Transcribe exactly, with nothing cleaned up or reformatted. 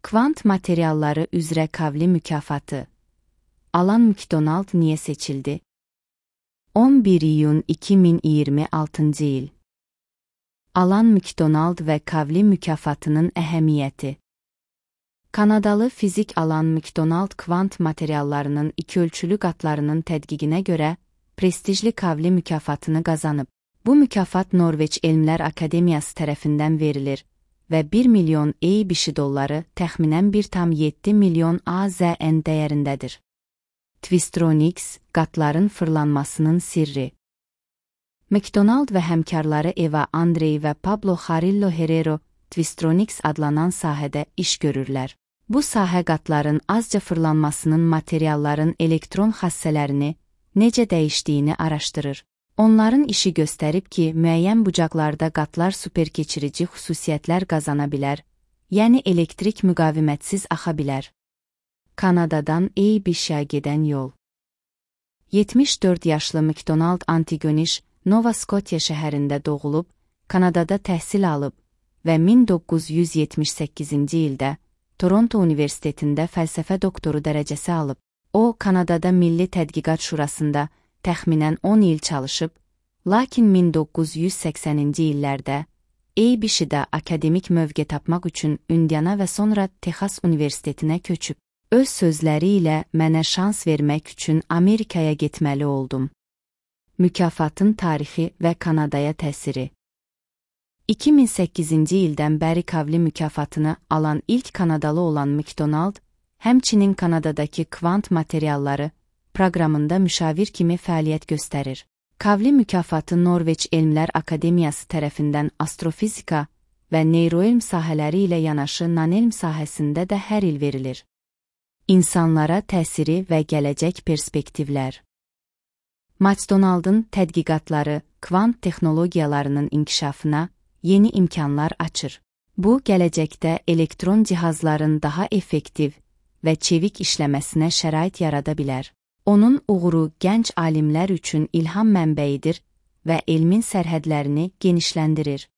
Kvant materialları üzrə Kavli mükafatı. Alan McDonald niyə seçildi? on bir iyun iki min iyirmi altıncı il. Alan McDonald və Kavli mükafatının əhəmiyyəti. Kanadalı fizik Alan McDonald kvant materiallarının ikiölçülü qatlarının tədqiqinə görə prestijli Kavli mükafatını qazanıb. Bu mükafat Norveç Elmlər Akademiyası tərəfindən verilir və bir milyon EY dolları təxminən bir tam yeddi milyon A Z N dəyərindədir. Twistronics, qatların fırlanmasının sirri. McDonald və həmkarları Eva Andrei və Pablo Jarillo Herrero Twistronics adlanan sahədə iş görürlər. Bu sahə qatların azca fırlanmasının materialların elektron xassələrini necə dəyişdiyini araşdırır. Onların işi göstərib ki, müəyyən bucaqlarda qatlar superkeçirici xüsusiyyətlər qazana bilər, yəni elektrik müqavimətsiz axa bilər. Kanadadan E Y B-şə gedən yol. yetmiş dörd yaşlı McDonald Antigonish, Nova Scotia şəhərində doğulub, Kanadada təhsil alıb və min doqquz yüz yetmiş səkkizinci ildə Toronto Universitetində fəlsəfə doktoru dərəcəsi alıb. O, Kanadada Milli Tədqiqat Şurasında təxminən on il çalışıb, lakin min doqquz yüz səksəninci illərdə E Y B-şdə akademik mövqe tapmaq üçün Indiana və sonra Texas Universitetinə köçüb. Öz sözləri ilə mənə şans vermək üçün Amerikaya getməli oldum. Mükafatın tarixi və Kanadaya təsiri. iki min səkkizinci ildən bəri Kavli mükafatını alan ilk Kanadalı olan McDonald, həmçinin Kanadadakı kvant materialları proqramında müşavir kimi fəaliyyət göstərir. Kavli mükafatı Norveç Elmlər Akademiyası tərəfindən astrofizika və neyroelm sahələri ilə yanaşı nanelm sahəsində də hər il verilir. İnsanlara təsiri və gələcək perspektivlər. McDonald'ın tədqiqatları kvant texnologiyalarının inkişafına yeni imkanlar açır. Bu, gələcəkdə elektron cihazların daha effektiv və çevik işləməsinə şərait yarada bilər. Onun uğuru gənc alimlər üçün ilham mənbəyidir və elmin sərhədlərini genişləndirir.